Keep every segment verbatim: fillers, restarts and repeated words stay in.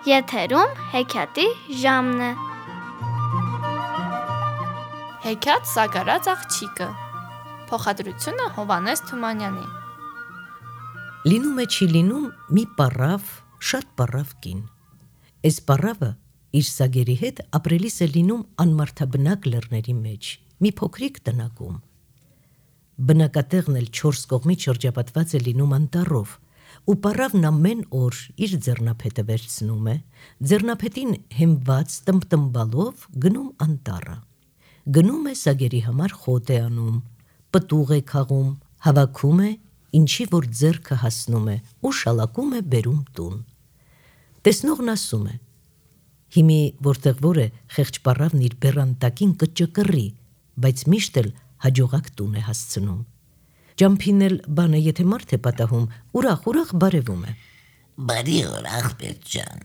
Եթերում հեքիաթի ժամն է։ Հեքիաթ Սագարած աղջիկը։ Փոխադրությունը Հովհաննես Թումանյանի։ Լինում է չի լինում մի պառավ, շատ պառավ կին։ Էս պառավը իր սագերի հետ ապրելիս է լինում անմարդաբնակ լեռների մեջ, մի փոքրիկ տնակում։ Բնակատեղն էլ չորս կողմից շրջապատված է լինում անտառով, ու պառավն ամեն օր իր ձեռնափետը վերցնում է, ձեռնափետին հենված տմբտմբալով գնում անտառը։ Գնում է սագերի համար խոտ է անում, պտուղ է քաղում, հավաքում է, ինչի որ ձեռքը հասնում է ու շալակում է բերում տուն։ Տեսնողն ասում է. հիմի որտեղ որ է խեղճ պառավն իր բեռան տակին կճկռի, բայց միշտ էլ հաջողակ տուն է հասցնում։ Ջամփին էլ բանը եթե մարդ է պատահում, ուրախ-ուրախ բարևում է։ Բարի օր աղբեր ջան,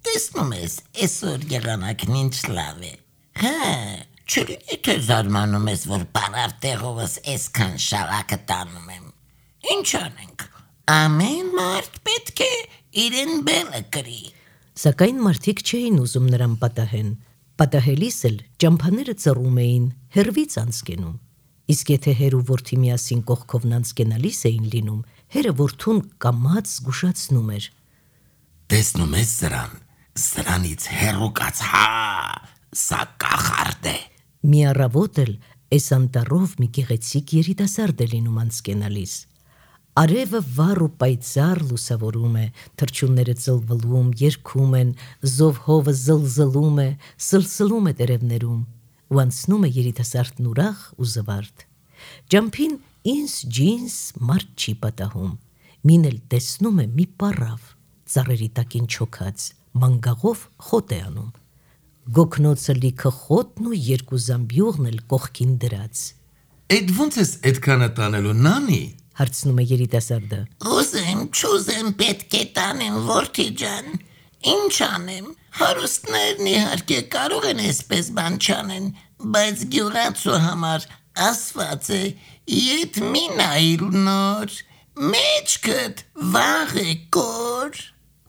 տեսնում ես այսօր եղանակն ինչ լավ է։ Հա, չլինի թե զարմանում ես, որ պառավ տեղովս այսքան շալակը տանում եմ։ Ինչ անենք, ամեն մարդ պետք է իրեն բելը կրի։ Սակայն մարդիկ չէին ուզում նրան պատահեն, պատահելիս էլ ճամփաները ծռում էին, հեռվից անցկենում։ Իսկ եթե հեր ու որդի միասին կողքովն անցկենալիս էին լինում, հերը որդուն կամաց զգուշացնում էր. Տեսնում ես սրան, սրանից հեռու կաց, հա, սա կախարդ է։ Մի առավոտ էլ էս անտառով մի գեղեցիկ երիտասարդ է լինում անցկենալիս։ Արևը վառ ու պայծառ լուսավորում է, թռչունները ծլվլում, երգում են, զով հովը զլզլում է, սլսլում է տերևներում, ու անցնում է երիտասարդն ուրախ ու զվարթ։ Ջամփին ինձ ջինս մարդ չի պատահում, մին էլ տեսնում է մի պառավ, ծառերի տակին չոքած, մանգաղով խոտ է անում։ Գոգնոցը լիքը խոտն ու երկու զամբյուղն էլ կողքին դրած։ Էդ ոնց ես էդքանը տանելու, նանի։ Հարցնում է երիտասարդը։ Ուզեմ, չուզեմ պետք է տանեմ որդի ջան, ինչ անեմ, հարուստներն իհարկե կարող են այսպես բան չանեն, բայց գյուղացու համար ասված է, ետ մի նայիր նոր, մեջքդ վաղ է կոր։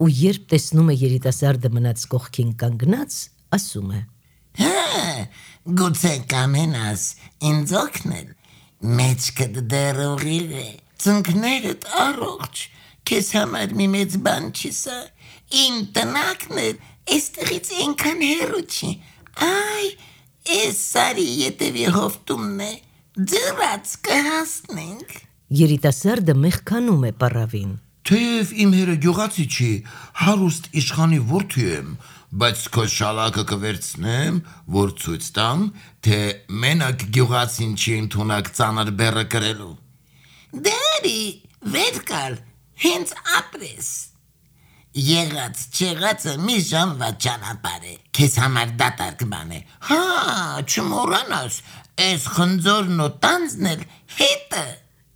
Ու երբ տեսնում է երիտասարդը մնաց կողքին կանգնած, ասում է. Հա, գուցե կամենաս ինձ օգնել, մեջքդ դեռ ուղիղ է, ծնկներդ առողջ, քեզ համար մի մեծ բան չի սա, իմ տնակն էլ այստեղից այնքան հեռու չի, այ, այս սարի ետևի հովտումն է, ձեռած կհասնենք։ Երիտասարդը մեղքանում է պառավին։ Թեև իմ հերը գյուղացի չի, հարուստ իշխանի որդի եմ, բայց քո շալակը կվերցնեմ, որ ցույց տամ, թե մենակ գյուղացին չի ընդունակ ծանր բեռը կրելու։ Դերի, վեր կալ, հենց ապրես։ Եղած չեղածը մի ժամվա ճանապարհ է, քեզ համար դատարկ բան է։ Հա, չմոռանաս, այս խնձորն ու տանձն էլ հետը։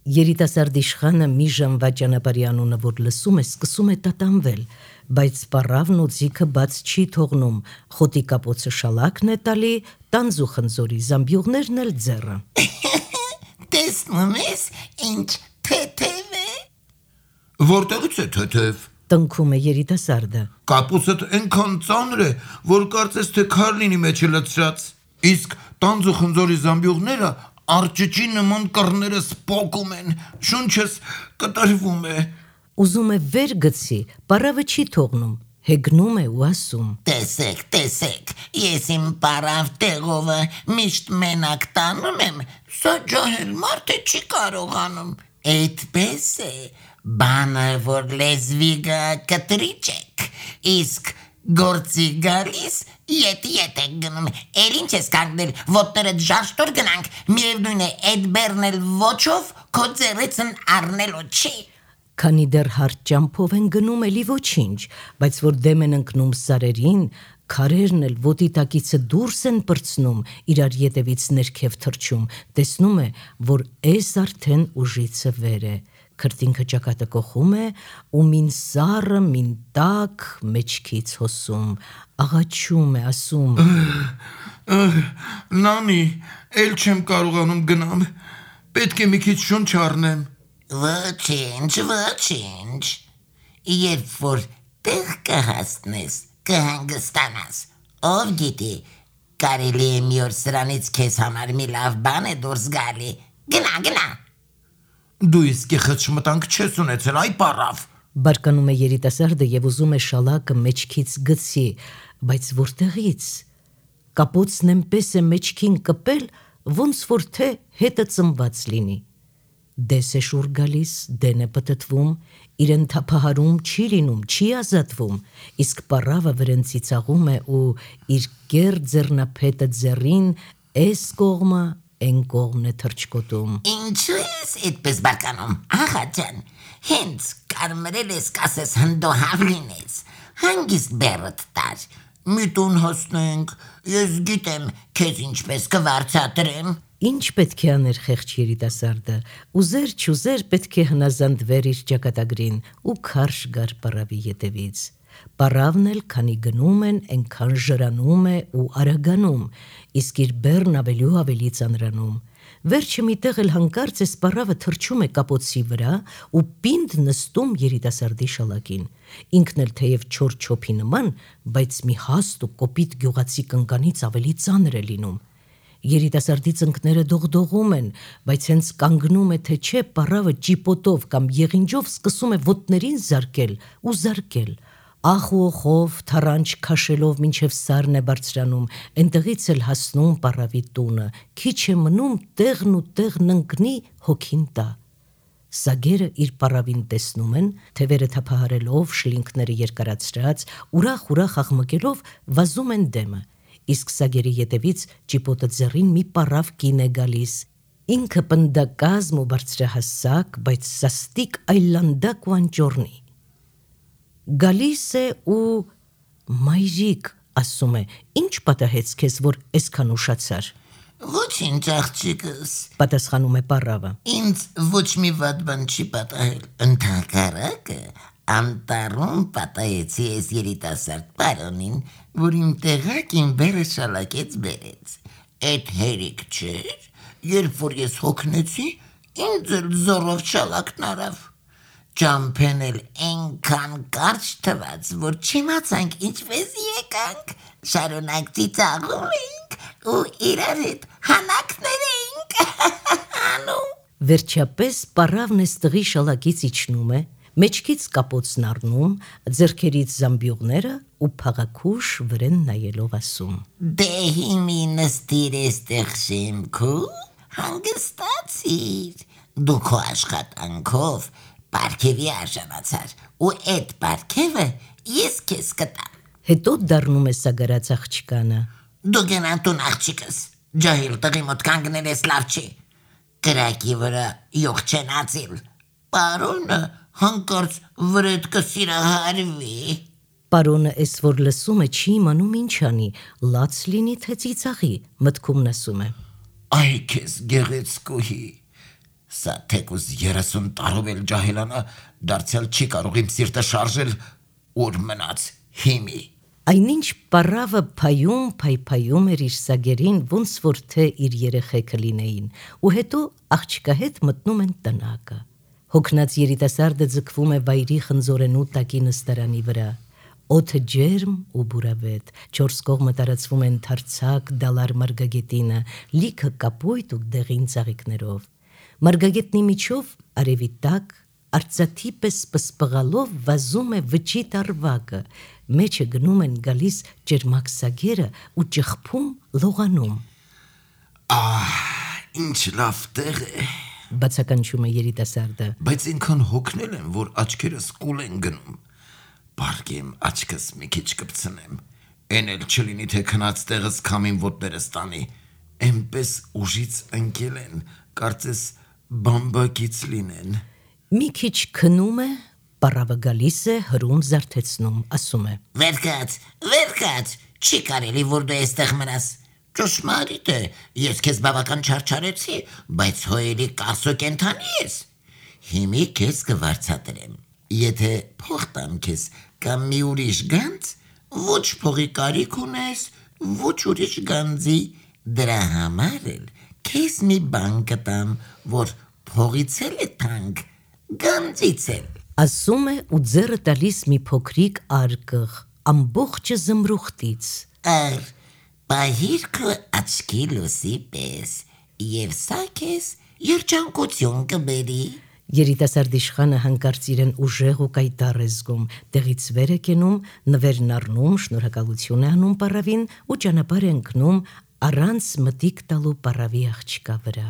Երիտասարդ իշխանը մի ժամվա ճանապարհի անունը որ լսում է, սկսում է տատանվել, բայց պառավն ու ձիքը բաց չի թողնում, խոտի կապոցը շալակն է տալի, տանձ ու խնձորի զամբյուղներն էլ ձեռը։ Տեսնում ես, ինչ թեթև է։ Որտեղից է թեթև։ Տնքում է երիտասարդը։ Կապոցդ այնքան ծանր է, որ կարծես թե քար լինի մեջը լցրած, իսկ տանձ ու խնձորի զամբյուղները արջճի նման կռները սպոկում են, շունչս կտրվում է։ Ուզում է վեր գցի, պառավը չի թողնում, հեգնում է ու ասում. Տեսեք, տեսեք, ես իմ պառավ տեղովը միշտ մենակ տանում եմ, սա ջահել մարդը չի կարողանում։ Այդպես է, բանը որ լեզվի գա կտրիչ եք, իսկ գործի գալիս ետ ետ եք գնում, էլ ինչ ես կանգնել, ոտներդ ժաշտոր գնանք, միևնույն է էդ բեռն էլ ոչով քո ձեռիցն առնելու չի։ Քանի դեռ հարթ ճամփով են գնում, էլի ոչինչ, բայց որ դեմ են ընկնում սարերին, քարերն էլ ոտի տակիցը դուրս են պրծնում, իրար ետևից ներքև թռչում, տեսնում է, որ էս արդեն ուժիցը վեր է, քրտինքը ճակատը կոխում է, ու մին սառը, մին տակ մեջքից հոսում, աղաչում է, ասում. Նանի, էլ չեմ կարողանում գնամ, պետք է մի քիչ շունչ առնեմ։ Ոչինչ, ոչինչ, երբ որ տեղ կհասնես, կհանգստանաս։ Ով գիտի, կարելի է մի օր սրանից քեզ համար մի լավ բան է դուրս գալի։ Գնա, գնա։ Դու իսկի խճմտանք չես ունեցել, այ պարավ։ Բարկանում է երիտասարդը եւ ուզում է շալակը մեջքից գցի, բայց որտեղից։ Կապոցն այնպես է մեջքին կպել, ոնց որ թե հետը ծնված լինի։ Դես է շուր գալիս, դեն է պտտվում, իրեն թափահարում չի լինում, չի ազատվում, իսկ պարավը վրեն ծիծաղում է ու իր կեր ձեռնափետը ձեռին էս կողմը են կողմն է թրջկոտում։ Ինչու ես այդպես բարկանում, աղա ջան, հենց կարմրել ես կասես հնդոհավ լինես, հանգիստ բերդ տար, մի տուն հոսնենք, ես գիտեմ քեզ ինչպես կվարձատրեմ։ Ինչ պետք է աներ խեղճ երիտասարդը, ուզեր չուզեր պետք է հնազանդվեր իր ճակատագրին ու քարշ գար պարավի ետևից։ Պարավն էլ քանի գնում են, այնքան ժրանում է ու արագանում, իսկ իր բեռն ավելի ու ավելի ծանրանում։ Վերջը միտեղ էլ հանկարծ էս պարավը թրջում է կապոցի վրա ու պինդ նստում երիտասարդի շալակին։ Ինքն էլ թեև չոր չոփի նման, բայց մի հաստ ու կոպիտ գյուղացի կնկանից ավելի ծանր է լինում։ Երիտասարդի ծնկները դողդողում են, բայց հենց կանգնում է թե չէ, պարավը ճիպոտով կամ եղինջով սկսում է ոտներին զարկել ու զարկել։ Ախ ու ոխով, թարանչ քաշելով մինչև սարն է բարձրանում, այնտեղից էլ հասնում պարավի տունը, քիչ է մնում տեղն ու տեղն ընկնի հոգին տա։ Սագերը իր պարավին տեսնում են, թևերը թափահարելով, շլինքները երկարացրած, ուրախ-ուրախ աղմկելով վազում են դեմը, իսկ սագերի ետևից ճիպոտը ձեռին մի պարավ կին է գալիս։ Ինքը պնդակազմ ու բարձրահասակ, բայց սաստիկ այլանդակ ու անճոռնի։ Գալիս է ու մայրիկ, ասում է, ինչ պատահեց քեզ, որ այսքան ուշացար։ Ոչինչ աղջիկս, Պատասխանում է պարավը։ ինձ ոչ մի վատ բան չի պատահել, ընդհակառակը անտառում պատահեցի ես երիտասարդ պարոնին, որ իմ տեղակին բերը շալակեց բերեց։ Էդ հերիք չէր, երբ որ ես հոգնեցի, ինձ էլ զորով շալակն արավ։ Ճամփեն էլ այնքան կարճ թվաց, որ չիմացանք ինչպես եկանք, շարունակ ծիծաղում էինք ու իրար հետ հանակներ էինք անում։ Վերջապես պարավն էստղի շալակից իջնում է, մեջքից կապոցն առնում, ձեռքերից զամբյուղները ու փաղաքուշ վրեն նայելով ասում. Դե հիմի նստիր էստեղ շեմքու, հանգստացիր, դու քո աշխատանքով պարգևի արժանացար ու այդ պարգևը ես քեզ կտամ։ Հետո դառնում է սագարած աղջկանը. Դու գնա տուն աղջիկս, ջահիլ տղի մոտ կանգնել ես լավ չի, կրակի վրա յուղ չեն ածիլ, պարոնը հանկարծ վրեդ կսիրահարվի։ Պարոնը էս որ լսում է չի իմանում ինչ անի, լաց լինի թե ծիծաղի, մտքում ասում է. Այ քեզ գեղեցկուհի, սա թեկուզ երեսուն տարով էլ ջահելանա, դարձյալ չի կարող իմ սիրտը շարժել, ուր մնաց հիմի։ Այնինչ պարավը փայում փայփայում էր իր սագերին, ոնց որ թե իր երեխեքը լինեին, ու հետո աղջկա հետ մտնում են տնակը։ Հոգնած երիտասարդը ձգվում է վայրի խնձորենու տակի նստարանի վրա։ Օդը ջերմ ու բուրավետ, չորս կողմը տարածվում են թարցակ դալար մարգագետինը, լիքը կապույտ ու դեղին ծաղիկներով։ Մարգագետնի միջով արևի տակ, արծաթի պես պսպղալով վազում է վճի տարվակը, մեջը գնում են գալիս ջերմակ սագերը ու ճխփում լողանում։ Ահ, ինչ լավ տեղ է, Բացականչում է երիտասարդը։ բայց ինքան հոգնել եմ, որ աչքերս կուլ են գնում։ Բարգեմ աչքս մի քիչ կպցնեմ, են էլ չլինի թե քնած տեղս քամին ոտներս տանի, էնպես ուժից ընկել են, կարծես բամբակից լինեն։ Մի քիչ քնում է, պարավը գալիս է, հրում զարթեցնում, ասում է. Վերկաց, վերկաց, չի կարելի որ դու այստեղ մնաս։ Ճշմարիտ է, ես քեզ բավական չարչարեցի, բայց հոյելի կասո կենթանի ես։ Հիմի քեզ կվարձատրեմ։ Եթե փող տամ քեզ կամ մի ուրիշ գանձ, ոչ փողի կարիք ունես, ոչ ուրիշ գանձի, դրա համար էլ քեզ մի բան կտամ, որ փողից էլ է թանկ, գանձից էլ։ Ասում է ու ձեռը տալիս մի փոքրիկ արկղ, ամբողջը զմրուխտից։ Ար, պահիր քո աչքի լույսի պես, եւ սա քեզ երջանկություն կբերի։ Երիտասարդ իշխանը հանկարծ իրեն ուժեղ ու կայտառ է զգում, տեղից վեր է կենում, նվերն առնում, շնորհակալություն է անում պարավին ու ճանապարհ է ընկնում առանց մտիկ տալու պարավի աղջկա վրա։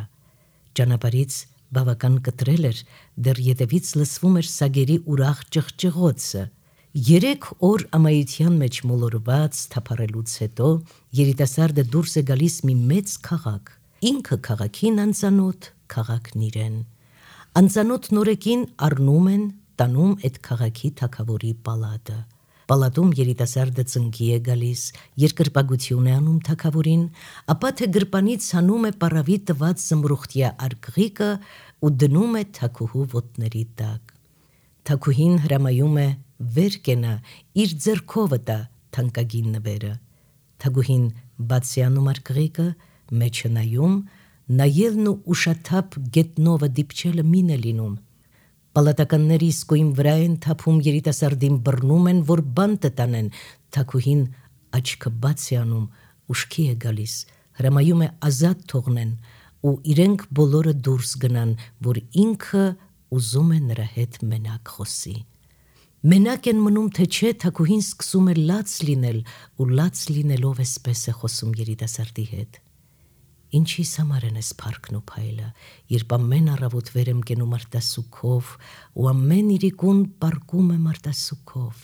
Ճանապարհից բավական կտրել էր, դեռ ետևից լսվում էր սագերի ուրախ ճղճղոցը։ Երեք օր ամայության մեջ մոլորված թափառելուց հետո երիտասարդը դուրս է գալիս մի մեծ քաղաք, ինքը քաղաքին անծանոթ, քաղաքն իրեն։ Անծանոթ նորեկին առնում են, տանում այդ քաղաքի թագավորի պալատը։ Պալատում երիտասարդը ծնկի է գալիս, երկրպագություն է անում թագավորին, ապա թե գրպանից հանում է պարավի տված զմրուխտյա արգղիկը ու դնում է թագուհու ոտների տակ։ Թագուհին հրամայում է վեր կենա, իր ձեռքովը տա թանկագին նվերը։ Թագուհին բաց է անում արգղիկը, մեջը նայում, նայելն ու ուշաթափ գետնովը դիպչելը մին է լինում։ Պալատականները իսկույն վրա են թափում երիտասարդին, բռնում են, որ բան տտանեն։ Թագուհին աչքը բաց է անում, ուշքի է գալիս, հրամայում է ազատ թողնեն ու իրենք բոլորը դուրս գնան, որ ինքը ուզում է նրա հետ մենակ խոսի։ Մենակ են մնում, թե չէ, թագուհին սկսում է լաց լինել ու լաց լինելով էսպես է խոսում երիտասարդի հետ։ Ինչիս համար են ես փառքն ու փայլը, երբ ամեն առավոտ վեր եմ կենում արտասուքով ու ամեն իրիկուն պառկում եմ արտասուքով։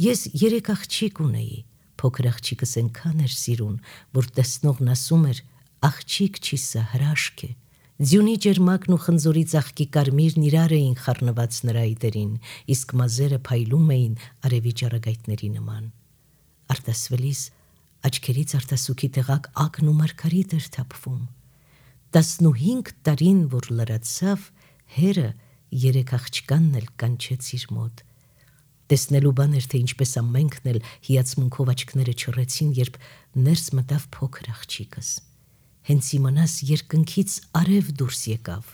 Ես երեք աղջիկ ունեի, փոքր աղջիկս այնքան էր սիրուն, որ տեսնողն ասում էր, աղջիկ չի սա, հրաշք է։ Ձյունի ջերմակն ու խնձորի ծաղկի կարմիրն իրար էին խառնված նրա այտերին, իսկ մազերը փայլում էին արևի ճառագայթների նման։ Արտասվելիս աչքերից արտասուքի տեղակ ակն ու մարգարիտ էր թափվում։ Տասնուհինգ տարին, որ լրացավ, հերը երեք աղջկանն էլ կանչեց իր մոտ։ Տեսնելու բան էր, թե ինչպես ամենքն էլ հիացմունքով աչքները չռեցին, երբ ներս մտավ փոքր աղջիկս։ Հենց իմանաս երկնքից արև դուրս եկավ։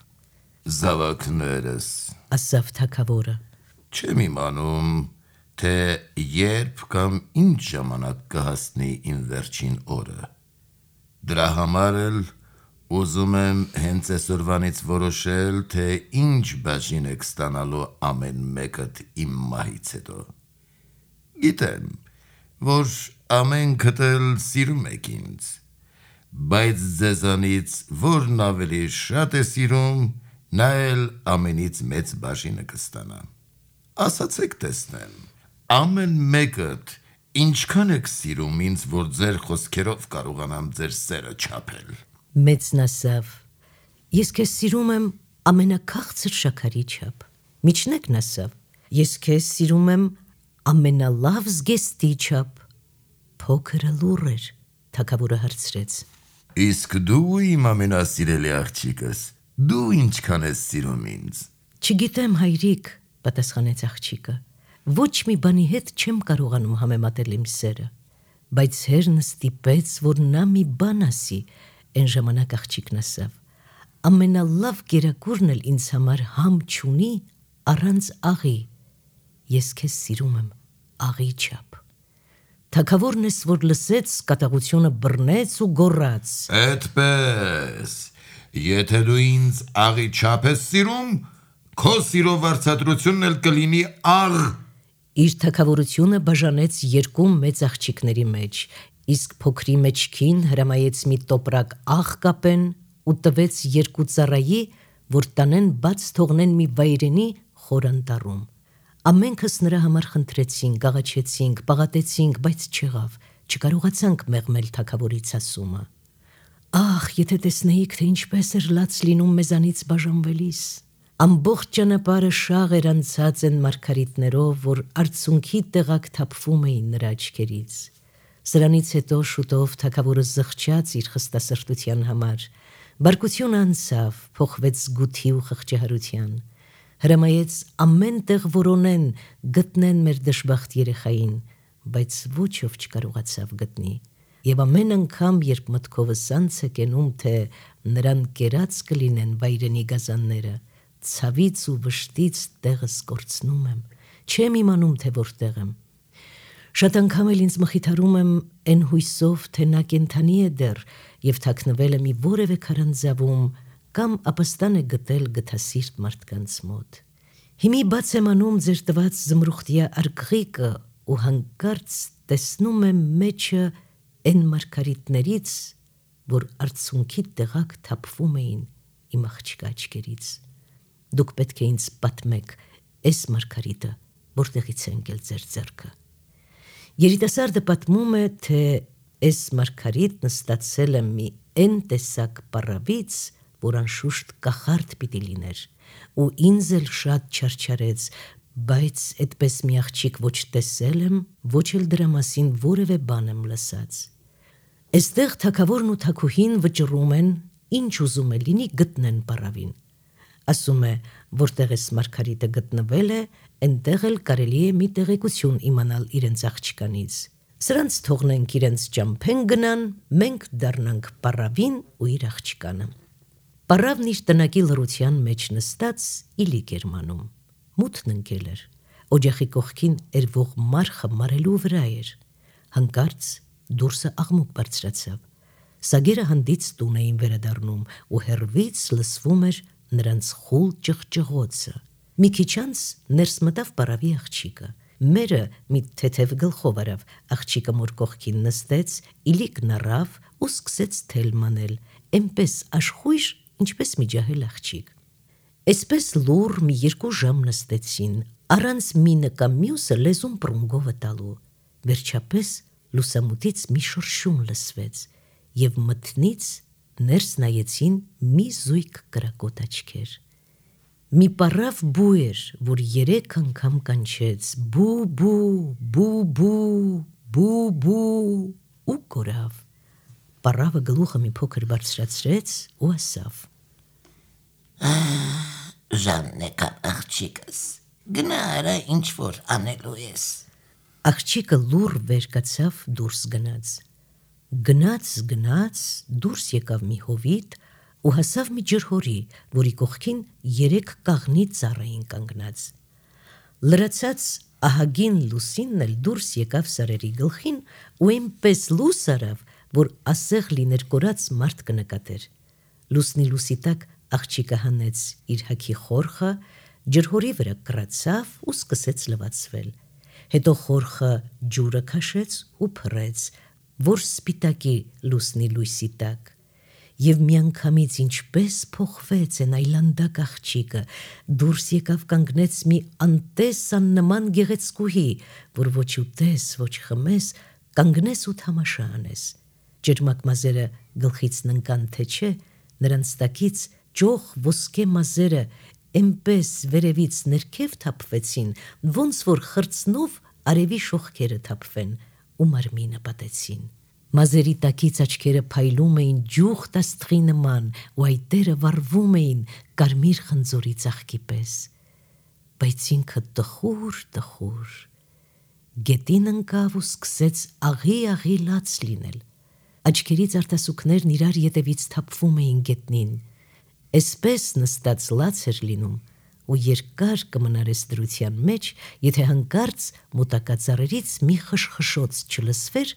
Զավակներս, ասավ թագավորը։ չեմ իմանում, թե երբ կամ ինչ ժամանակ կհասնի իմ վերջին օրը։ Դրա համար էլ ուզում եմ հենց այսօրվանից որոշել, թե ինչ բաժին եք ստանալու ամեն մեկդ իմ մահից հետո։ Գիտեմ, որ ամենքդ էլ սիրում եք ինձ, բայց ձեզանից որն ավելի շատ է սիրում, նա էլ ամենից մեծ բաժինը կստանա։ Ասացեք տեսնեմ, ամեն մեկդ ինչքան եք սիրում ինձ, որ ձեր խոսքերով կարողանամ ձեր սերը չափել։ Մեծն ասավ. ես քեզ սիրում եմ ամենաքաղցր շաքարի չափ։ Միջնեկն ասավ. ես քեզ սիրում եմ ամենալավ զգեստի չափ։ Փոքրը լուռ էր, թագավորը հարցրեց. Իսկ դու իմ ամենասիրելի աղջիկս, դու ինչքան ես սիրում ինձ։ Չգիտեմ, հայրիկ, պատասխանեց աղջիկը, ոչ մի բանի հետ չեմ կարողանում համեմատել իմ սերը, բայց հերն ստիպեց, որ նա մի բան ասի, այն ժամանակ աղջիկն ասավ. ամենալավ գերակուրն էլ ինձ համար համ չունի առանց աղի, ես քեզ սիրում եմ աղի չափ։ Թագավորն ես, որ լսեց, կատաղությունը բռնեց ու գոռաց. Այդպես, եթե դու ինձ աղի չափ ես սիրում, քո սիրո վարձատրությունն էլ կլինի աղ։ Իր թագավորությունը բաժանեց երկու մեծ աղջիկների մեջ, իսկ փոքրի մեջքին հրամայեց մի տոպրակ աղ կապեն ու տվեց երկու ծառայի, որ տանեն բաց թողնեն մի վայրենի խոր անտառում։ Ամենքս նրա համար խնդրեցինք, աղաչեցինք, պաղատեցինք, բայց չեղավ, չկարողացանք մեղմել թագավորից ասումը։ Ախ, եթե տեսնեիք, թե ինչպես էր լաց լինում մեզանից բաժանվելիս։ Ամբողջ ճանապարհը շաղ էր անցած են մարգարիտներով, որ արցունքի տեղակ թափվում էին նրա աչքերից։ Սրանից հետո շուտով թագավորը զղջաց իր խստասրտության համար, բարկությունը անցավ, փոխվեց զգութի ու խղճահարության, հրամայեց ամեն տեղ որոնեն, գտնեն մեր դժբախտ երեխային, բայց ոչ ով չկարողացավ գտնի, եւ ամեն անգամ, երբ մտքովս անց է կենում, թե նրան կերած կլինեն վայրենի գազանները, ցավից ու վշտից տեղս կորցնում եմ, չեմ իմանում, թե որտեղ եմ։ Շատ անգամ էլ ինձ մխիթարում եմ այն հույսով, թե նա կենդանի է դեռ եւ թաքնվել է մի որևէ քարանձավում կամ ապաստան է գտել գթասիրտ մարդկանց մոտ։ Հիմի բաց եմ անում ձեր տված զմրուխտյա արգղիկը ու հանկարծ տեսնում եմ մեջը այն մարգարիտներից, որ արցունքի տեղակ թափվում էին իմ աղջկա աչքերից։ Դուք պետք է ինձ պատմեք այս մարգարիտը որտեղից է ընկել ձեր ձեռքը։ Երիտասարդը պատմում է, թե այս մարգարիտն ստացել է մի այն տեսակ պարավից, որ անշուշտ կախարդ պիտի լիներ, ու ինձ էլ շատ չարչարեց, բայց այդպես մի աղջիկ ոչ տեսել եմ, ոչ էլ դրա մասին որևէ բան եմ լսած։ Այստեղ թագավորն ու թագուհին վճռում են, ինչ ուզում է լինի գտնեն պարավին։ Ասում է, որտեղ էս մարգարիտը գտնվել է, այնտեղ էլ կարելի է մի տեղեկություն իմանալ իրենց աղջկանից։ Սրանց թողնենք իրենց ճամփեն գնան, մենք դառնանք պարավին ու իր աղջկանը։ Պարավն իր տնակի լռության մեջ նստած իլիկ էր մանում։ Մութն ընկել էր, օջախի կողքին երվող մարխը մարելու վրա էր։ Հանկարծ դուրսը աղմուկ բարձրացավ։ Սագերը հանդից տուն էին վերադառնում ու հեռվից լսվում էր նրանց խուլ ճղճղոցը։ Մի քիչ անց ներս մտավ պարավի աղջիկը։ Մերը մի թեթև գլխով արավ, աղջիկը մոր կողքին նստեց, իլիկն առավ ու սկսեց թել մանել, այնպես աշխույժ, ինչպես մի ջահել աղջիկ։ Այսպես լուռ մի երկու ժամ նստեցին, առանց մինը կամ մյուսը լեզուն պրունգովը տալու։ Վերջապես լուսամուտից մի շրշում լսվեց եւ մթնից ներս նայեցին մի զույգ կրակոտ աչքեր։ Մի պարավ բու էր, որ երեք անգամ կանչեց բու բու բու բու բու բու ու կորավ։ Պարավը գլուխը մի փոքր բարձրացրեց ու ասավ. Ժաննեկան աղջիկս, գնա արա ինչ որ անելու ես։ Աղջիկը լուռ վեր կացավ դուրս գնաց։ Գնաց, գնաց, դուրս եկավ մի հովիտ ու հասավ մի ջրհորի, որի կողքին երեք կաղնի ծառ էին կանգնած։ Լրացած ահագին լուսինն էլ դուրս եկավ սարերի գլխին ու այնպես լույս արավ, որ ասեղ լիներ կորած մարդ կնկատեր։ Լուսնի լուսի տակ աղջիկը հանեց իր հագի խորխը, ջրհորի վրա կռացավ ու սկսեց լվացվել։ Հետո խորխը ջուրը քաշեց ու փռեց, որ սպիտակի լուսնի լույսի տակ։ Եվ միանգամից ինչպես փոխվեց այն այլանդակ աղջիկը, դուրս եկավ կանգնեց մի անտես աննման գեղեցկուհի, որ ոչ ուտես, ոչ խմես, կանգնես ու թամաշա անես։ Ջերմակ մազերը գլխից ննկան թե չէ, նրանց տակից ճոխ ոսկե մազերը այնպես վերևից ներքև թափվեցին, ոնց որ խրձնով արևի շողքերը թափվեն ու մարմինը պատեցին։ Մազերի տակից աչքերը փայլում էին ջուխտ աստղի նման ու այտերը վառվում էին կարմիր խնձորի ծաղկի պես։ Բայց ինքը տխուր, տխուր։ Գետին ընկավ ու սկսեց աղի-աղի լաց լինել։ Աչքերից արտասուքներն իրար ետևից թափվում էին գետնին։ Այսպես նստած լաց էր լինում ու երկար կմնար այս դրության մեջ, եթե հանկարծ մոտակա ծառերից մի խշխշոց չլսվեր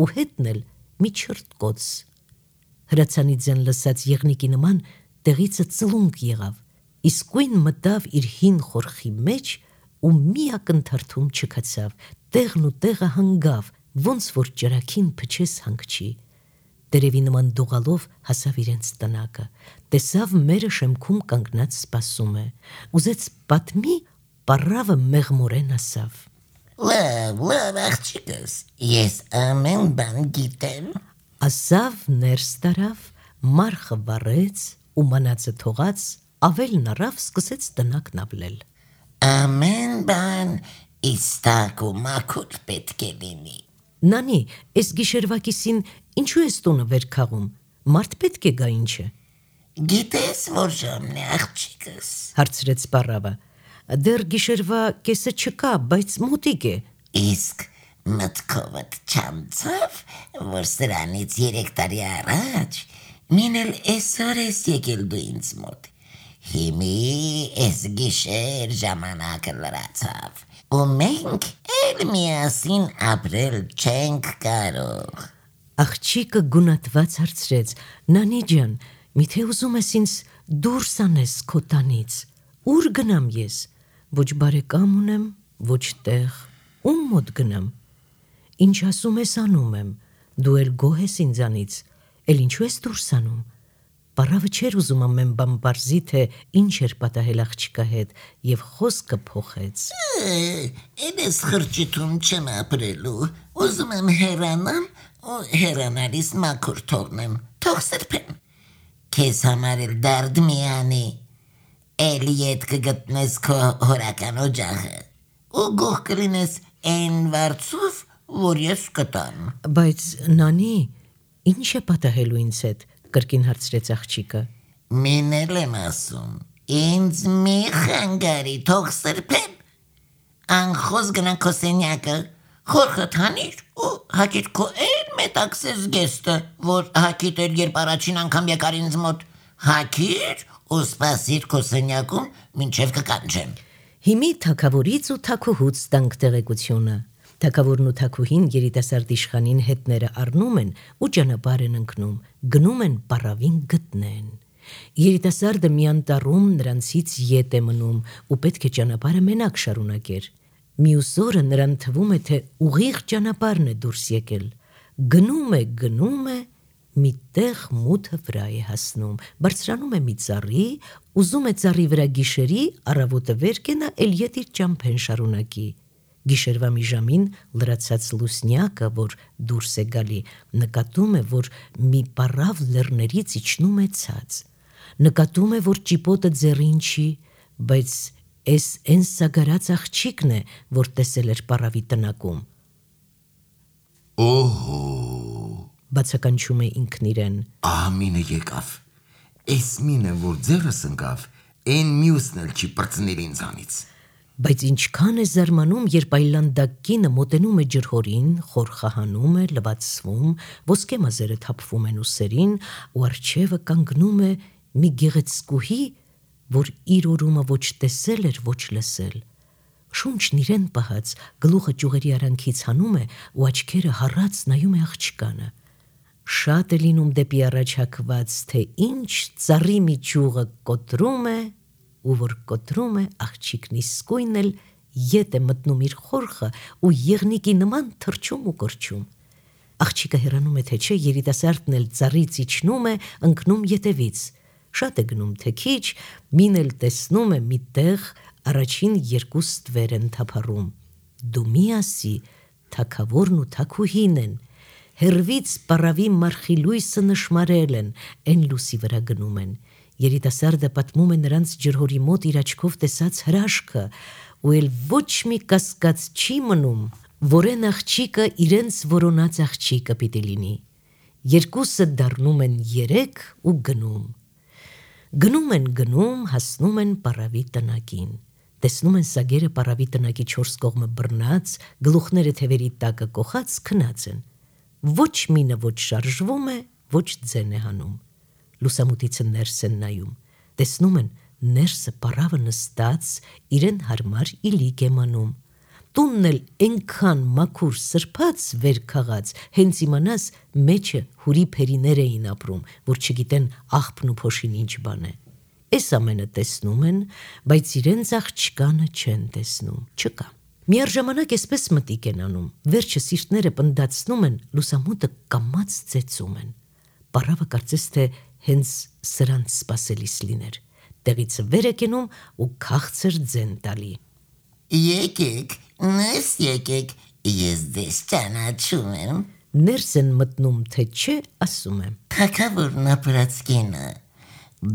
ու հետն էլ մի չրտկոց։ Հրացանի ձեն լսած եղնիկի նման տեղիցը ծլունք եղավ, իսկույն մտավ իր հին խորխի մեջ ու մի ակնթարթում չքացավ, տեղն ու տեղը հանգավ, ոնց որ ճրագին փչես հանգչի։ Տերևի նման դողալով հասավ իրենց տնակը, տեսավ մերը շեմքում կանգնած սպասում է, ուզեց պատմի, պարավը մեղմորեն ասավ. Լավ, լավ աղջիկս, ես ամեն բան գիտեմ։ Ասավ ներս տարավ, մարխը վառեց ու մանածը թողած, ավելն առավ սկսեց տնակն ավլել։ Ամեն բան իստակ ու մաքուր պետք է լինի։ Նանի, այս գիշերվա կիսին ինչու ես տունը վեր քաղում, մարդ պետք է գա ինչ է։ Գիտես որ ժամն է աղջիկս։ Հարցրեց պարավը։ Դեռ գիշերվա կեսը չկա, բայց մոտիկ է։ Իսկ մտքովդ չանցավ, որ սրանից երեք տարի առաջ մին էլ այսօր ես եկել դու ինձ մոտ։ Հիմի էս գիշեր ժամանակը լրացավ, ու մենք էլ միասին ապրել չենք կարող։ Աղջիկը գունատված հարցրեց. Նանի ջան, միթե ուզում ես ինձ դուրս անես քո տանից, ուր գնամ ես, ոչ բարեկամ ունեմ, ոչ տեղ, ում մոտ գնամ, ինչ ասում ես անում եմ, դու էլ գոհ ես ինձանից, էլ ինչու ես դուրս անում, պարավը չէր ուզում ամեն բան բարձի, թե ինչ էր պատահել աղջիկա հետ և խոսքը փոխեց. Էլ ես խրճիթում չեմ ապրելու, ուզում եմ հեռանամ ու հեռանալիս մաքուր թողնեմ, թող սրբեմ, քեզ համար էլ դարդ միանի, էլ ետ կգտնես քո հորական օջախը, ու գող կլինես այն վարձով, որ ես կտամ։ Բայց նանի, ինչ է պատահելու ինձ հետ, կրկին հարցրեց աղջիկը։ Մինել եմ ասում, ինձ մի խանգարի, թող սրբեմ, անխոզ գնանք քո սենյակը, խորխդ հանիր ու հակիր քո էլ մետաքսես գեստը, որ հակիտ էր, երբ առաջին անգամ եկար ինձ մոտ, հակիր ու սպասիր քո սենյակում, մինչև կկանչեմ։ Հիմի թագավորից ու թագուհուց տանք տեղեկությունը։ Թագավորն ու թագուհին երիտասարդ իշխանին հետները առնում են ու ճանապարհ են ընկնում, գնում են պարավին գտնեն։ Երիտասարդը մի անտառում նրանցից ետ է մնում ու պետք է ճանապարհը մենակ շարունակեր։ Մյուս օրը նրան թվում է, թե ուղիղ ճանապարհն է դուրս եկել։ Գնում է, գնում է, մի տեղ մութը վրա է հասնում, բարձրանում է մի ծառի, ուզում է ծառի վրա գիշերի, առավոտը վեր կենա, էլ ետ իր ճամփեն շարունակի։ Գիշերվա մի ժամին լրացած լուսնյակը, որ դուրս է գալի, նկատում է, որ մի պարավ լեռներից իջնում է ցած։ Նկատում է, որ ճիպոտը ձեռին չի, բայց էս են սագարած աղջիկն է, որ տեսել էր պարավի տնակում։ Օհո, Բացականչում է ինքն իրեն։ ահա մինը եկավ, էս մինը, որ ձեռս ընկավ, այն մյուսն էլ չի պրծնել ինձանից։ Բայց ինչքան է զարմանում, երբ այլանդակ կինը մոտենում է ջրհորին, խորխահանում է, լվացվում, ոսկե մազերը թափվում են ուսերին, ու առջևը կանգնում է մի գեղեցկուհի, որ իր օրումը ոչ տեսել էր, ոչ լսել։ Շունչն իրեն պահած, գլուխը ճյուղերի արանքից հանում է ու աչքերը հառած նայում է աղջկանը։ Շատ է լինում դեպի առաջ հակված, թե ինչ ծառի մի ճյուղը կոտրում է, ու որ կոտրում է, աղջիկն իսկույն էլ ետ է մտնում իր խորխը ու եղնիկի նման թռչում ու կորչում։ Աղջիկը հեռանում է, թե չէ, երիտասարդն էլ ծառից իջնում է, ընկնում ետևից։ Շատ է գնում, թե քիչ, մին էլ տեսնում է մի տեղ առաջին երկու ստվեր են թափառում։ Դու մի ասի, թագավորն ու թագուհին են, հեռվից պարավի մարխիլույսը նշմարել են, են լուսի վրա գնում են։ Երիտասարդը պատմում է նրանց ջրհորի մոտ իր աչքով տեսած հրաշքը, ու էլ ոչ մի կասկած չի մնում, որ են աղջիկը իրենց որոնած աղջիկը պիտի լինի։ Երկուսը դառնում են երեք ու գնում։ Գնում են գնում, հասնում են պարավի տնակին։ Տեսնում են սագերը պարավի տնակի չորս կողմը բռնած, գլուխները թևերի տակը կոխած քնած են։ Ոչ մինը ոչ շարժվում է, ոչ ձեն է հանում։ Լուսամուտիցը ներս են նայում, տեսնում են ներսը պարավը նստած, իրեն հարմար իլիկ է մանում։ Տունն էլ ենքան մաքուր սրբած վեր քաղած, հենց իմանաս մեջը հուրի փերիներ էին ապրում, որ չգիտեն աղբն ու փոշին ինչ բան է։ Էս ամենը տեսնում են, բայց իրենց աղջկանը չեն տեսնում, չկա։ Միառժամանակ էսպես մտիկ են անում, վերջը սիրտները պնդացնում են, լուսամուտը կամաց ծեծում են։ Պարավը կարծես թե հենց սրանց սպասելիս լիներ, տեղից վեր է կենում ու քաղցր ձեն տալի։ Եկեք, ներս եկեք, ես դες ճանաչում եմ։ Ներս են մտնում, թե չէ, ասում եմ։ Թագավորն ապրած կինը,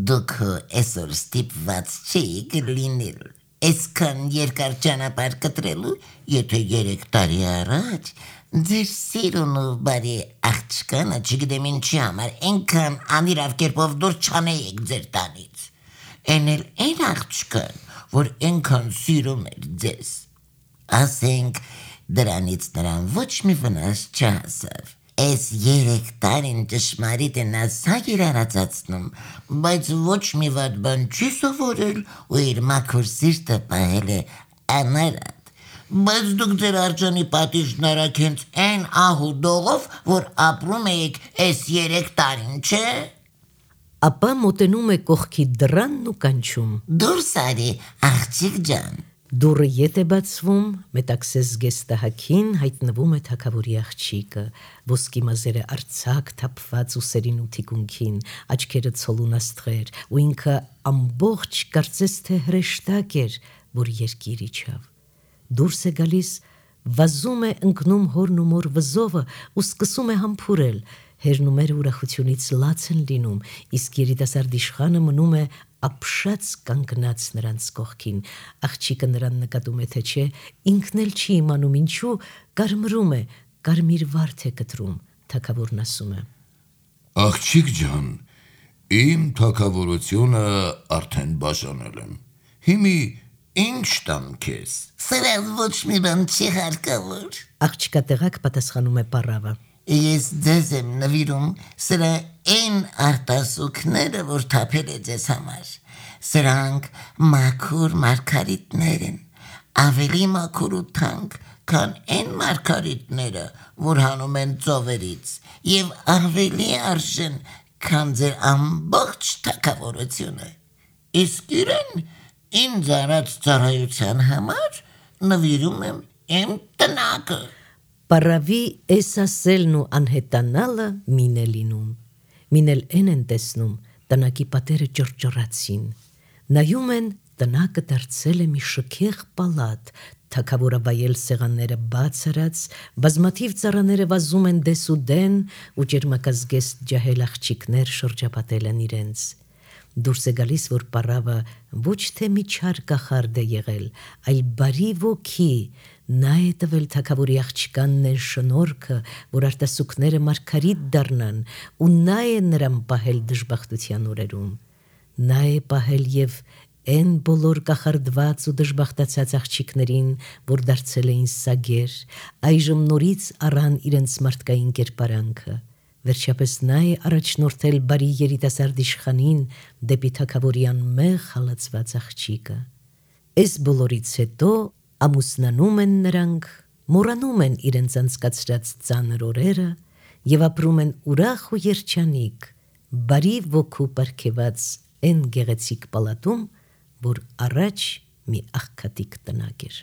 դուք այսօր ստիպված չէիք լինել, այսքան երկար ճանապարհ կտրելու, եթե երեք տարի առաջ ձեր սիրուն ու բարի աղջկանը, չգիտեմ ինչի համար, այնքան անիրավ կերպով դուրս չանեիք ձեր տանից։ Էն էլ այն աղջկան, որ այնքան սիրում էր ձեզ։ Ասենք, դրանից նրան ոչ մի վնաս չհասավ։ Էս երեք տարին ճշմարիտ են ասակ իր արածացնում, բայց ոչ մի վատ բան չի սովորել ու իր մաքուր սիրտը պահել է անարատ։ Բայց դուք ձեր արջանի պատիժն արաք հենց այն ահու դողով, որ ապրում էիք էս երեք տարին, չէ։ Ապա մոտենում է կողքի դռանն ու կանչում. Դուրս արի, աղջիկ ջան։ Դուռը ետ է բացվում, մետաքսես զգեստահակին հայտնվում է թագավորի աղջիկը, ոսկի մազերը արձակ թափված ուսերին ու թիկունքին, աչքերը ցոլունաստղեր, ու ինքը ամբողջ կարծես թե հրեշտակ էր, որ երկիր իջավ։ Դուրս է գալիս, վազում է ընկնում հորն ու մոր վզովը ու սկսում է համբուրել, հերնումերը ուրախությունից լաց են լինում, իսկ երիտասարդ իշխանը մնում է ապշած կանգնած նրանց կողքին, աղջիկը նրան նկատում է թե չէ, ինքն էլ չի իմանում ինչու, կարմրում է, կարմիր վարդ է կտրում, թագավորն ասում է. Աղջիկ ջան, իմ թագավորությունը արդեն բաժանել եմ, հիմի ինչ տամ քեզ։ Սրա ոչ մի բան չի հարկավոր։ Աղջկա տեղակ պատասխանում է պառավը. Ես ձեզ եմ նվիրում սրա այն արտասուքները, որ թափել է ձեզ համար։ Սրանք մաքուր մարգարիտներ են, ավելի մաքուր ու թանկ, քան այն մարգարիտները, որ հանում են ծովերից, եւ ավելի արժեն, քան ձեր ամբողջ թագավորությունը։ Իսկ իրեն ինձ արած ծառայության համար նվիրում եմ իմ տնակը։ Պառավի էս ասելն ու անհետանալը մին է լինում, մին էլ են են տեսնում, տնակի պատերը ճռճռացին, նայում են, տնակը դարձել է մի շքեղ պալատ, թագավորը վայել սեղանները բաց արած, բազմաթիվ ծառաները վազում են դես ու դեն ու ճերմակազգեստ ջահել աղջիկներ շրջապատել են իրենց։ Դուրս է գալիս, որ պառավը ոչ թե մի չար կախարդ է եղել, այլ բարի ոգի, նա է տվել թագավորի աղջկանն են շնորհքը, որ արտասուքները մարգարիտ դառնան, ու նա է նրան պահել դժբախտության օրերում։ Նա է պահել եւ այն բոլոր կախարդված ու դժբախտացած աղջիկներին, որ դարձել էին սագեր, այժմ նորից առան իրենց մարդկային կերպարանքը։ Վերջապես նա է առաջնորդել բարի երիտասարդ իշխանին դեպի թագավորի անմեղ հալածված աղջիկը։ Այս բոլորից հետո ամուսնանում են նրանք, մոռանում են իրենց անցկացրած ծանր օրերը եւ ապրում են ուրախ ու երջանիկ, բարի ոգու պարգևած այն գեղեցիկ պալատում, որ առաջ մի աղքատիկ տնակ էր։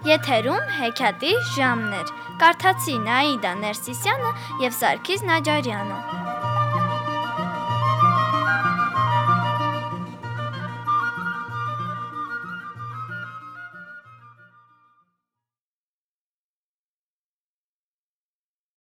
Եթերում հեքիաթի ժամն էր։ Կարդացի Նաիդա Ներսիսյանը եւ Սարգիս Նաջարյանը։